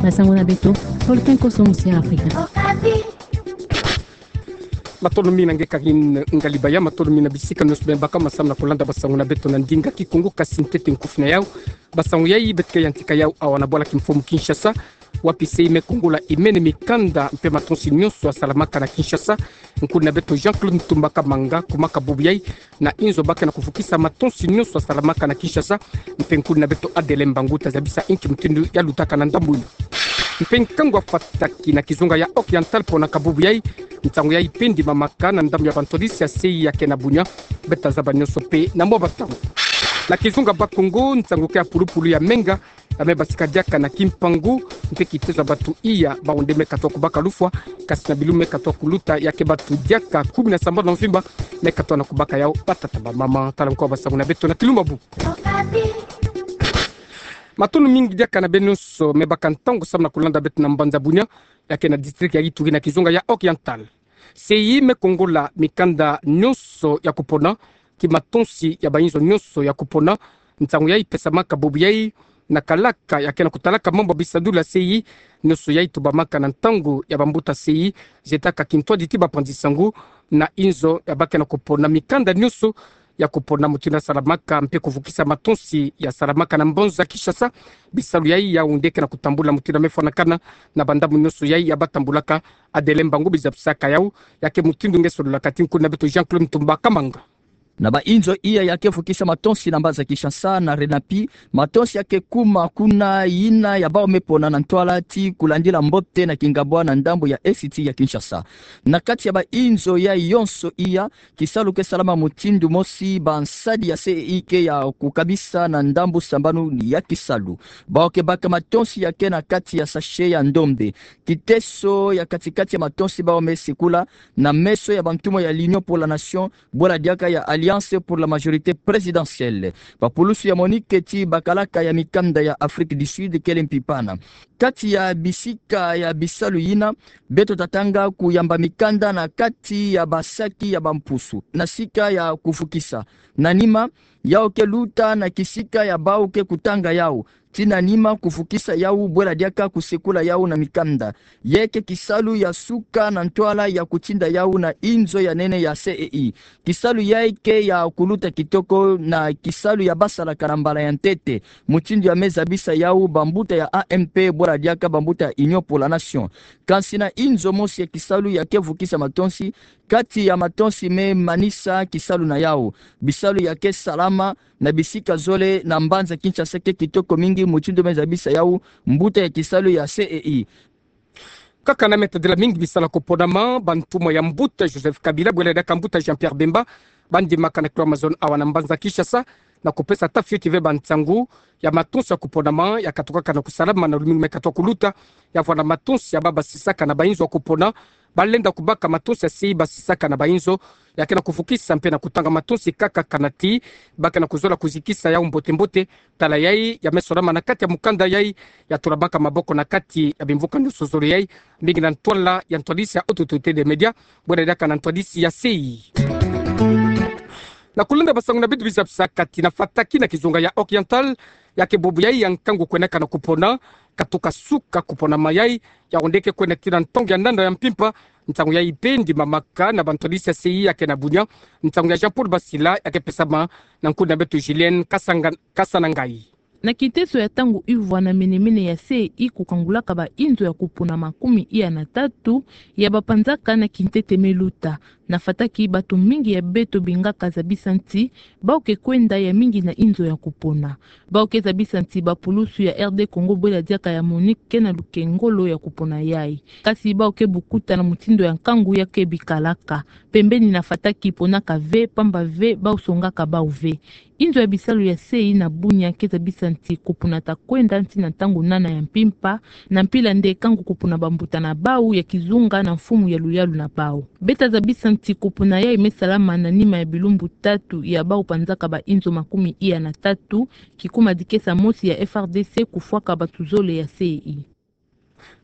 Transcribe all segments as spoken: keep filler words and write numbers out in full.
Basango na beto, folklore koso musi ya Afrika. Matondo mingi na nge Karine Ngalibaya, matondo mingi na bisika nyonso beno baka ma samu na kulanda basango na beto na ndinga Kikongo, kasi ntete nkufi na yau. Basango yai beto ke yantika yau awa na bwala kimfumu Kinshasa, wapi sei Me Kongola imene mikanda mpe matonsi nyonso yasalamaka na Kinshasa, nkuni na beto Jean-Claude Ntumba Kamanga, kumaka bubu yai na inzo ba ke na kuvukisa matonsi nyonso yasalamaka na Kinshasa, mpe nkuni na beto Adelin Mbangu ta zabisa inki mutindu yalutaka na ndambu ina. Mpe nkangu ya fataki na kizunga ya Oriental ponaka bubu yai, ntangu yai mpe ndimamaka na ndambu ya bantwadisi ya sei ya ke na bunya, beto ta zaba nyonso mpe na mwa batangu. Na kizunga Bas-Congo, ntangu ke ya pulupulu ya menga, ya me basika diaka na Kimpangu, mpe kitezo ya batu iya, bawu nde me katoa kubaka lufwa, kasi na bilumbu me katoa kuluta, ya ke batu diaka kumi na sambanu na mvimba me katoa na kubaka yau, batata, bamama. Tala nkoa basango na beto na kilumbu ya buku. Matondo mingi diaka na beno nyonso me baka ntangu samu na kulanda beto na mbanza Bunia, ya ke na district ya Ituri na kizunga ya Oriental. Sei Me Kongola mikanda nyonso ya kupona, ki matonsi ya bainzo nyonso ya kupona, ntangu yai pesamaka bubu yai na kalaka ya ke na kutalaka mambu ya bisadulu ya sei, nyonso yai tubamaka na ntangu ya bambuta sei, zetaka kintwadi ti bapanzi sango na inzo ya ba ke na kupona mikanda nyonso ya kupona, mutindu yasalamaka mpe kuvukisa matonsi yasalamaka na mbanza Kinshasa. Bisalu yai yau nde ke na kutambula mutindu ya me fwanakana na bandambu nyonso yai ya batambulaka. Adelin Mbangu bizabisaka yau, ya ke mutindu nge sololaka ti nkuni na beto Jean-Claude Ntumba Kamanga. Na bainzo iya ya ke vukisa matonsi na mbanza Kinshasa na RENAPI, matonsi ya ke kuma kuna yina ya bawu me pona na ntwala ti kulandila mbote na kingabwa na ndambu ya esiti ya Kinshasa. Na kati ya bainzo yai yonso iya, kisalu ke salama mutindu mosi, bansadi ya sei ke ya kukabisa na ndambu sambanu ya kisalu. Bawu ke baka matonsi ya ke na kati ya sachet ya ndombe. Kiteso ya kati-kati ya matonsi bawu me sikula na meso ya bantumwa ya l'Union pour la Nation, bwela diaka ya Alliance pour la Majorité Présidentielle. Bapulusu ya MONUC ti bakalaka ya mikanda ya Afrique du Sud kele mpipana. Kati ya bisika ya bisalu yina, beto ta tanga kuyamba mikanda na kati ya basaki ya bampusu, na sika ya kuvukisa. Na nima, yau ke luta na kisika ya bawu ke kutanga yau, ti na nima kuvukisa yau, bwela diaka kusekula yau na mikanda. Yai ke kisalu ya suka na ntwala ya kutinda yau na inzo ya nene ya sei. Kisalu yai ke ya kuluta kitoko na kisalu ya basalaka na mbala ya ntete, mutindu ya me zabisa yau bambuta ya A M P, bwela diaka bambuta ya Union pour la Nation. Kansi na inzo mosi ya kisalu ya ke vukisa matonsi, kati ya matonsi me manisa kisalu na yau. Bisalu ya ke salama na bisika zole na mbanza Kinshasa ke kitoko mingi, mutindu me zabisa yau mbuta ya kisalu ya sei. Kaka na me tadila mingi bisalu ya kuponama, bantumwa ya mbuta Joseph Kabila, bwela diaka mbuta Jean-Pierre Bemba, ba ndimaka na Cloison awa na mbanza Kinshasa, na kupesa tafioti ve bansangu ya matonsi ya kuponama ya katukaka na kusalama na lumingu me katoa kuluta, ya vwanda matonsi ya ba basisaka na bainzo ya kupona, ba lenda kubaka matonsi ya sei basisaka na bainzo, ya ke na kuvukisa mpe na kutanga matonsi kaka kanati ba ke na kuzola kuzikisa yau mbote-mbote. Tala yai ya me solama na kati ya mukanda yai ya tulamaka maboko na kati ya bimvuka nyonso zole yai, mingi na ntwala ya ntwadisi ya Haute Autorité des Médias, bwela diaka na ntwadisi ya sei. Na kulenda basango na beto bizabisaka ti na fataki na kizunga ya Oriental, ya ke bubu yai ya nkangu kwendaka na kupona, katuka suka kuponama yai, yau nde ke kwenda ti na ntangu ya nana ya mpimpa, nsangu yai mpe ndimamaka na bantwadisi ya sei ya ke na bunya, nsangu ya Jean-Paul Basila ya ke pesama na nkuni na beto Julienne Kasanga-, Kasanangai. Na kiteso ya ntangu ivwa na mene-mene ya sei kukangulaka bainzo ya kupona makumi iya na tatu ya bapanzaka na kintete me luta. Na fataki bato mingi ya beto bingaka zabisa nti bawu ke kwenda ya mingi na inzo ya kupona. Bawu ke zabisa nti bapulusu ya R D Congo bwela diaka ya MONUC ke na lukengolo ya kupona yai. Kasi bawu ke bukuta na mutindu ya nkangu ya ke bikalaka. Pembeni na fataki ponaka ve, pamba ve bawu songaka bawu ve. Inzo ya bisalu ya sei na bunya ke zabisa nti kupona ta kwenda nti na ntangu nana ya mpimpa, na mpila nde kangu kupona bambuta na bawu ya kizunga na mfumu ya luyalu na bawu. Beta zabisa nti kupona yai me salama na nima ya bilumbu tatu ya bawu panzaka bainzo makumi iya na tatu, kikuma dikesa mosi ya F R D C kufwaka bato zole ya sei.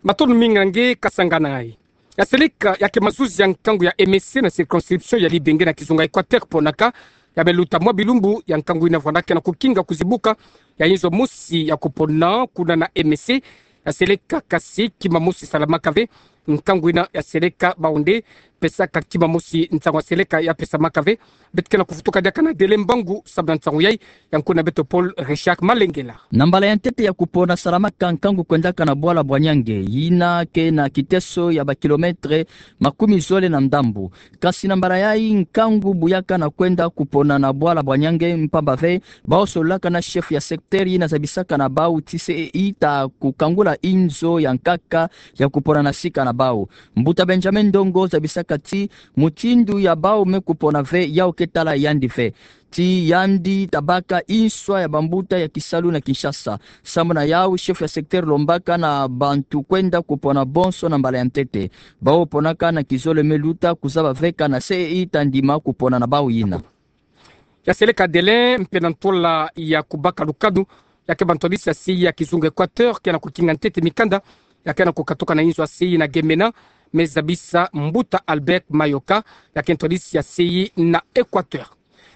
Matondo mingi na nge Kasanga na ngai. Ya seleka ya ke mazuzi ya nkangu ya M S C na circonscription ya Libenge na kizunga Equateur ponaka, ya me luta mwa bilumbu ya nkangu ina vwandaka na kukinga kuzibuka ya inzo mosi ya kupona kuna na M S C, ya seleka kasi kima mosi salamaka ve. Nkangu ina ya seleka bau nde pesaka kima mosi nsangu ya seleka ya pesamaka ve. Beto ke na kufutuka diaka na delai mbangu sababu na nsangu yai, ya nkuna beto Paul Richard Malengela. Na mbala ya ntete ya kupona salamaka nkangu kwendaka na bwala bwa Niange, ina ke na kiteso ya ba kilomètre makumi zole na ndambu. Kasi na mbala yai nkangu buyaka na kwenda kupona na bwala bwa Niange mpamba ve bau sololaka na chef ya secteur ina zabisaka na bau ti C E I ta kukangula inzo ya nkaka ya kupona na sika na bau. Mbuta Benjamin Ndongo zabisaka ti mutindu ya bau me kupona ve yau ke tala yandi ve. Ti yandi tabaka inswa ya bambuta ya kisalu na Kinshasa. Samu na yau, chef ya secteur lombaka na bantu kwenda kupona bonso na mbala ya ntete. Bau ponaka na kizole me luta kuzaba ve kana C E I ta ndima kupona na bau ina. Ya seleka delai mpe na ntola ya kubaka lukanu, ya ke ba ntwadisi ya C E I ya kizunga Équateur ke na kukinga ntete mikanda ya ke na kukatuka na inzo ya C E I na Gemena, me zabisa mbuta Albert Mayoka, ya ke ntwadisi ya C E I na Équateur.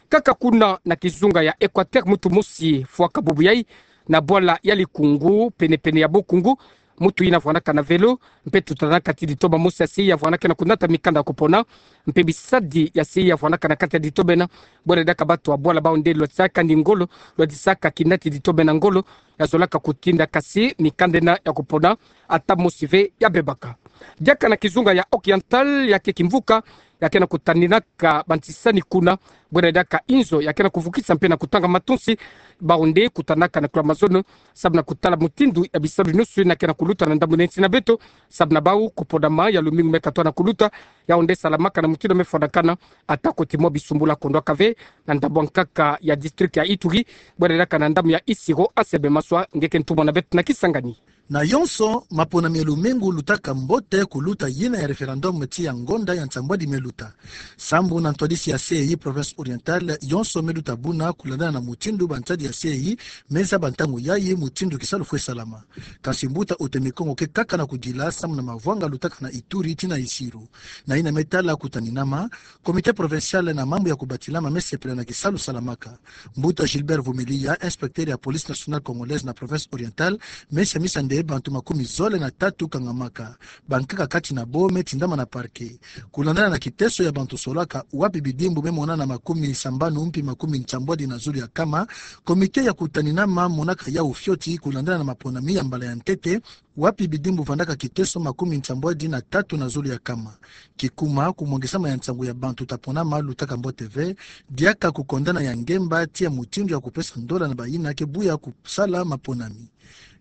Kaka kuna na kizunga ya Équateur, mutu mosi fwaka bubu yai na bwala ya Likungu, pene-pene ya Bokungu, mutu ina vwanaka na vélo, mpe tutanaka ti ditoma mosi ya C E I ya vwanaka na kunata mikanda ya kupona, mpe bisadi ya C E I ya vwanaka na kati ya ditoma ina. Bwena diaka bato ya bwala bau nde lwatisaka ni ngolo, lwatisaka kinati ditoma ina ngolo, ya zolaka kutinda kasi mikanda ina ya kupona ata mosi ve ya bebaka. Diaka na kizunga ya Oriental, ya ke kimvuka, ya ke na kutaninaka bantisani kuna, bwena diaka inzo ya ke na kuvukisa mpe na kutanga matonsi, bau nde kutanaka na kula mazono, sababu na kutala mutindu ya bisalu nyonso ina ke na kuluta na ndambu na nsi na beto, sababu na bau kupona ma ya lumingu me katwa na kuluta, yau nde salamaka na mutindu me fwanakana, ata koti mwa bisumbula kondwaka ve na ndambu ya nkaka ya district ya Ituri, bwena diaka na ndambu ya Isiro. Anselme Maswa nge ke ntumwa na beto na Kisangani. Na yonso, maponami ya lumingu lutaka mbote kuluta yina ya référendum ti ya ngonda ya nsambwadi me luta. Sambu na ntwadisi ya C E I province orientale, yonso me luta buna kulandana na mutindu bantadi ya C E I me zaba ntangu yai mutindu kisalu fwe salama. Kasi mbuta Utemi Kongo ke kaka na kudila samu na mavwanga lutaka na Ituri tii na Isiro. Na yina me tala kutaninama, Comité provincial na mambu ya kubatilama me sepela na kisalu salamaka. Mbuta Gilbert Vumilia, inspecteur ya Police nationale congolaise na province orientale, me siamisa nde bantu makumi zole na tatu kangamaka. Bankaka kati na bo me tindama na parquet. Kulandana na kiteso ya bantu solaka, wapi bidimbu me monana makumi sambanu mpi makumi nsambwadi na zulu ya kama, comité ya kutaninama monaka yau fioti kulandana na maponami ya mbala ya ntete, wapi bidimbu vandaka kiteso makumi nsambwadi na tatu na zulu ya kama. Kikuma, kumwangisama ya nsangu ya bantu ta ponama lutaka mbote ve, diaka kukondana ya ngemba tii ya mutindu ya kupesa ndola na bayina ke buya kusala maponami.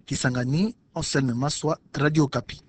Kisangani, Anselme Maswa, Radio Okapi.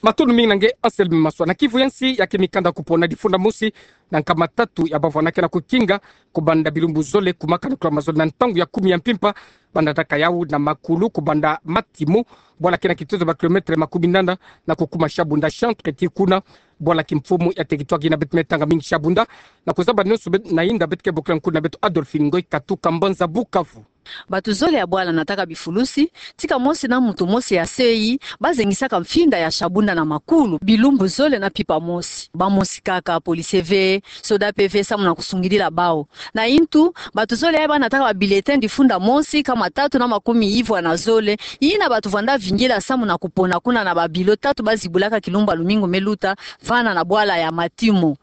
Matondo mingi na nge Anselme Maswa. Na Kivu ya nsi, ya ke mikanda kupona difunda mosi na nkama tatu ya bavwanaka na kukinga, kubanda bilumbu zole kumaka na kula mazono na ntangu ya kumi ya mpimpa, bandataka yau na makulu kubanda Matimo, bwala ke na kitozo ba kilomètre makumi nana, na kukuma Shabunda centre tii kuna bwala kimfumu ya territoire ina beto me tanga mingi Shabunda. Na kuzaba nyonso beto na yinda, beto ke bokila nkuna beto Adolphine Ngoy Katuka, mbanza Bukavu. Bato zole ya bwala nataka bifulusi, tika mosi na mutu mosi ya C E I, bazengisaka mfinda ya Shabunda na makulu, bilumbu zole na mpimpa mosi. Bamosi kaka, policier ve, soda mpe ve, samu na kusungidila bau. Na yintu, bato zole yai banataka ba bulletin difunda mosi, nkama tatu na makumi ivwa na zole, yina bato vwanda vingila samu na kupona kuna na ba bureau tatu bazibulaka kilumbu ya lumingu me luta, vana na bwala ya Matimo.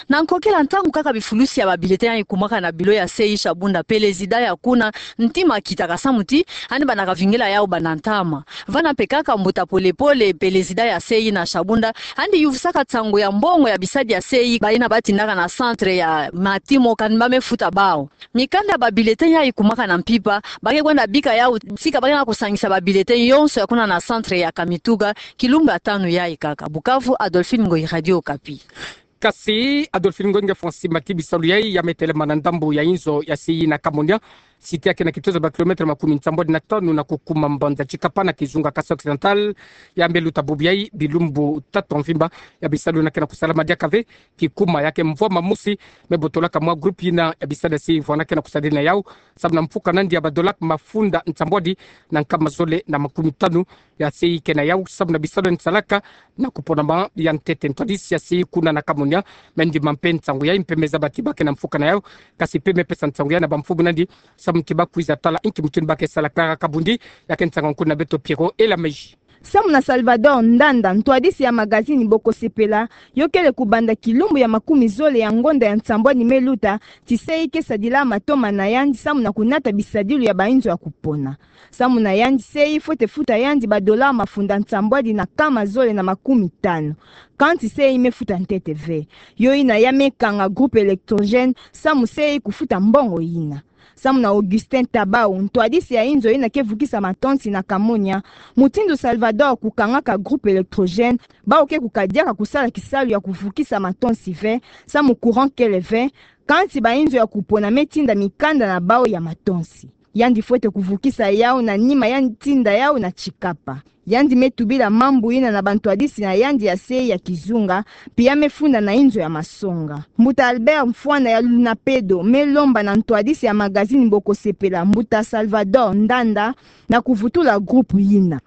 Na nkokila ntangu kaka bifulusi ya ba bulletin yai kumaka na bureau ya C E I Shabunda, pelezida ya kuna, ntima akitaka samu ti, yandi banda kavingila yau banda ntama. Vana mpe kaka mbuta Pole Pole, pelezida ya C E I na Shabunda, yandi yuvusaka nsangu ya mbongo ya bisadi ya C E I, bayina batindaka na centre ya Matimo, kani ba me futa bau. Mikanda ya ba bulletin yai kumaka na mpimpa, ba ke kwenda bika yau, tika ba ke na kusangisa ba bulletin yonso ya kuna na centre ya Kamituga, kilumbu ya tanu yai kaka. Bukavu, Adolphine Ngoy, Radio Okapi. Kasi Adolphine Ngoy, nge fwa nsi mati bisalu yai ya me telama na ndambu ya inzo ya C E I na Kamonia, site ya ke na kitozo ba kilomètre makumi nsambwadi na tanu na kukuma mbanza Tshikapa na kizunga Kasaï Occidental, ya me luta bubu yai bilumbu tatu ya mvimba. Ya bisalu yina ke na kusalama diaka ve, kikuma ya ke mvwama mosi me botolaka mwa groupe yina ya bisadi ya C E I vwanda ke na kusadila na yau, samu na mfuka nandi ya ba dollars mafunda nsambwadi na nkama zole na makumi tanu ya C E I ke na yau, samu na bisalu yandi salaka na kuponama ya ntete. Ntwadisi ya C E I kuna na Kamonia me ndima mpe nsangu yai mpe me zaba ti ba ke na mfuka na yau, kasi mpe me pesa nsangu yai na bamfumu nandi, samu ti ba kwiza tala inki mutindu ba ke salaka. Kabundi, ya ke nsanga nkuna beto Pierrot Elameji. Samu na Salvador Ndanda, ntwadisi ya magazini Bokosepela, yo kele kubanda kilumbu ya makumi zole ya ngonda ya nsambwadi me luta, ti se ikesadila matoma na yandi samu na kunata bisadilu ya bainzo ya kupona. Samu na yandi se ifwete futa yandi ba dollars mafunda nsambwadi na nkama zole na makumi tanu. Kanti se imefuta ntete ve. Yo ina ya mekanga groupe Electrogène, samu se ikufuta mbongo ina. Samu na Augustin Tabau, ntwadisi ya inzo ina ke vukisa matonsi na Kamonia, mutindu Salvador kukangaka groupe Electrogène, bau ke kukadiaka kusala kisalu ya kuvukisa matonsi ve, samu courant kele ve, kanti bainzo ya kupona metinda mikanda na bau ya matonsi. Yandi fwete kuvukisa yau na nima ya ntinda yau na Chikapa. Yandi metubila mambu ina na bantwadisi na yandi ya se ya kizunga, mpi ya mefunda na inzo ya masonga. Mbuta Albert Mfwana ya Lunapedo melomba na ntwadisi ya magazini Bokosepela, mbuta Salvador Ndanda, na kuvutula groupe ina.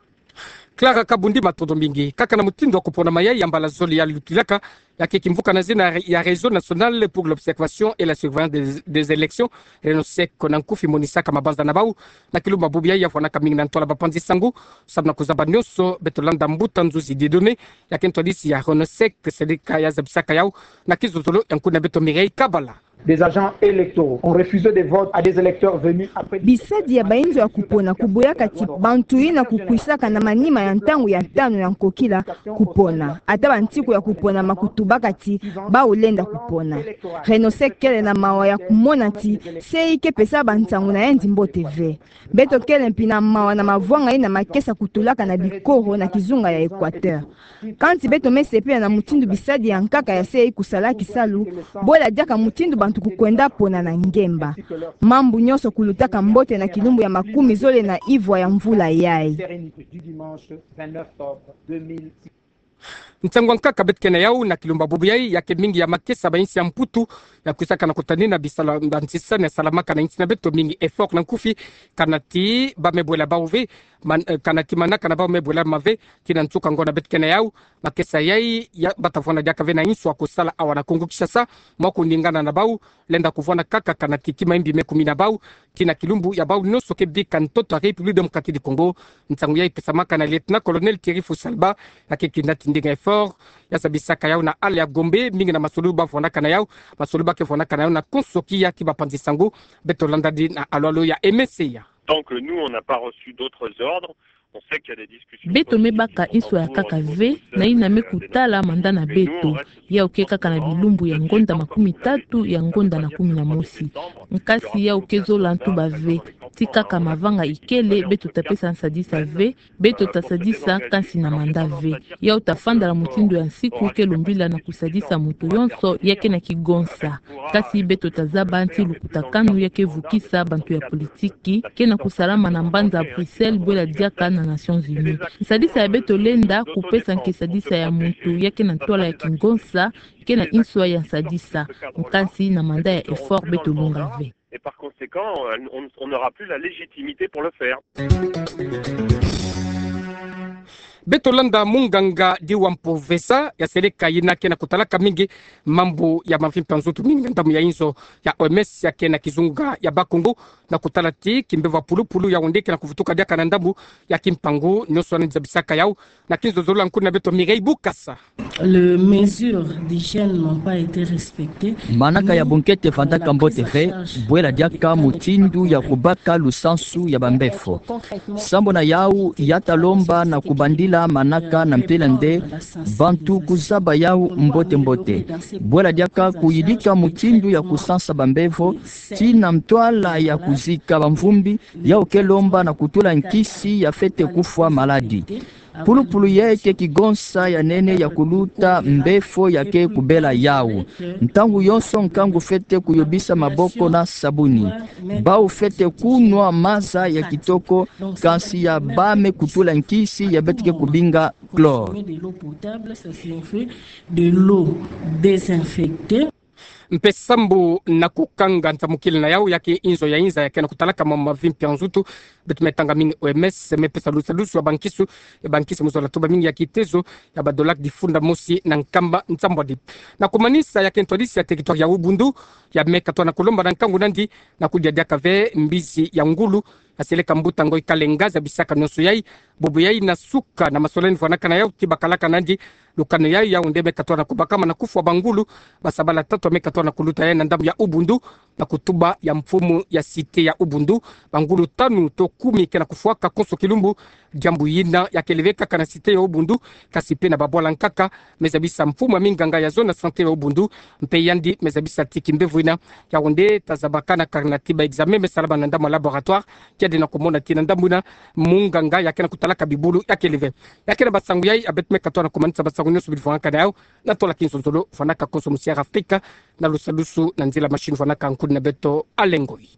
Clara Kabundi, matondo mingi. Kaka na mutindu wa kupona mayai ya mbala zole ya lutilaka, ya ke kimvuka na zina ya Réseau National pour l'Observation et la Surveillance des, des Élections, RENOSEC na nkufi, monisaka mabanza na bau na kilumbu bubu yai, ya vwanaka mingi na ntwala bapanzi sangu. Samu na kuzaba nionso, beto landa mbuta Nzuzi Dieudonné, ya ke ntwadisi ya RENOSEC, seleka ya zabisaka yau na kizozolo ya nkuna beto Mireille Kabala. Des agents électoraux ont refusé de vote à des électeurs venus après. Bisadi ya bainzo ya kupona kuboyaka ti bantu ina kukwisaka na manima ya ntangu ya tanu ya nkokila kupona. Ata bantiku ya kupona ma kutubaka ti bau lenda kupona. RENOSEC kele na mawa ya kumona ti se ikepesa bansangu na yandi mbote ve. Beto kele mpi na mawa na mavwanga ina makesa kutulaka na bikoro na kizunga ya Équateur. Kanti beto mesepela na mutindu bisadi ya nkaka ya se ikusala kisalu, bwela diaka mutindu bantu kukwenda pona na ngemba. Mambu nionso kulutaka mbote na kilumbu ya makumi zole na ivwa ya mvula yai. Nsangu ya nkaka beto ke na yau na kilumbu bubu yai, ya ke mingi ya makesa ba insi ya Mputu ya kwisaka na kutanina bisala, banzisani ya salamaka na insi na beto, mingi effort na nkufi, kana ti ba mebwela bau ve, man-, eh, kana ti manaka na bau mebwela ma ve. Kina nsuka ngonda beto ke na yau, makesa yai, ya bata vwanda diaka ve na insu ya kusala awa na Kongo Kinshasa, mwa kuningana na bau, lenda kuvwanda kaka kana ti kima mbi me kumina bau, kina kilumbu ya bau nionso ke bika ntoto ya République Démocratique du Congo. Nsangu yai pesamaka na Lieutenant-colonel Thierry Fusalba, ya ke kina ti ndinga effort ya sabisaka yau na ala ya Gombe, mingi na masolo ba vwandaka na yau, masolo ba ke vwandaka na yau na konso kiya ki bapanzi sangu. Beto landa di na alwalo ya Aimé Seya. Tant que nous, on n'a pas reçu d'autres ordres, on sait qu'il y a des discussions politiques qui sont en cours au niveau de Bruxelles, euh, de l'Union européenne, mais nous, on reste sur notre position. Beto me baka insu ya nkaka ve, na ina me kutala manda na beto. Yau ke kaka na bilumbu ya ngonda makumi tatu ya ngonda na kumi na mosi. Nkasi yau ke zola ntuba ve. Ti kaka mavanga ikele, beto ta pesa nsadisa ve, beto ta sadisa kansi na manda ve. Yau ta fanda na mutindu ya nsiku ke lumbila na kusadisa muntu yonso ya ke na kigonsa. Kasi beto ta zaba nti lukutakanu ya ke vukisa bantu ya politiki ke na kusalama na mbanza Bruxelles, bwela diaka na Nations Unies. Nsadisa ya beto lenda kupesa nki? Sadisa ya muntu ya ke na ntwala ya kingonsa, ke na insu ya nsadisa. Kansi na manda ya effort beto lunga ve. Et par conséquent, euh, on, on n'aura plus la légitimité pour le faire. Beto landa munganga Diwa Mpovesa, ya seleka ina ke na kutalaka mingi mambu ya mavimpi ya nzutu, mingi na ndambu ya inzo ya O M S ya ke na kizunga ya Bakongo, na kutala ti kimbevo ya pulupulu ya wende ke na kuvutuka diaka na ndambu ya kimpangu, nionso wana zabisaka yau na kinzozolo ya nkuna beto Mireille Bukasa. Les mesures d'hygiène n'ont pas été respectées. Manaka ya bunkete vandaka mbote ve, bwela diaka mutindu ya kubaka lusansu ya bambefo. Sambu na yau, ya ta lomba na kubandila manaka na mpila nde bantu kuzaba yau mbote mbote. Bwela diaka kuyidika mutindu ya kusansa bambefo, ti na ntwala ya kuzika bamvumbi, yau ke lomba na kutula nkisi ya fwete kufwa maladi. Pulupulu ye ke kigonsa ya nene ya kuluta mbefo ya ke kubela yau. Ntangu yonso nkangu fwete kuyobisa maboko na sabuni. Bau fwete kunwa maza ya kitoko, kansi ya ba me kutula nkisi ya beto ke kubinga chlore. De l'eau désinfectée. Mpe sambu na kukanga ntamukila na yau ya ke inzo ya inza ya ke na kutalaka ma mavimpi ya nzutu, beto me tanga mingi O M S me pesa lusalusu ya bankisi, ya bankisi mu zola tuba mingi ya kitezo ya ba dola difunda mosi na nkama nsambwadi. Na kumanisa, ya ke ntwadisi ya territoire ya Ouboundou, ya me katoa na kulomba na nkangu nandi na kudia diaka ve mbizi ya ngulu, na seleka mbuta ngoi Kalenga zabisaka nionso yai, bobo yai na suka na masolani fwanakana yau ti bakalaka nandi lukano yai, yau nde me katona kubakama na kufwa bangulu, basabala tatu me katona kuluta yai na ndambu ya Ubundu, na kutuba ya mfumu ya site ya Ubundu, bangulu tanu to kumi ke na kufwaka konso kilumbu. Diambu yina ya keleve kaka na site ya Ubundu, kasi pe na babwala nkaka, me zabisa mfumu ya minganga ya zone ya sante ya Ubundu, mpe yandi me zabisa ti kimbevo yina, yau nde ta zabaka na karina ti ba examen me salama na ndambu ya laboratoire, kiadi na kumona ti na ndambu yina, munganga ya ke na kutalaka bibulu ya keleve. Ya ke na basangu yai, ya beto me katona kumanisa basangu nionso bili fwanakana yau, na tola kinzonzolo fwanaka konso musi ya Afrika, na lusalusu na nzila machine fwanaka nkuni na beto Alengoi.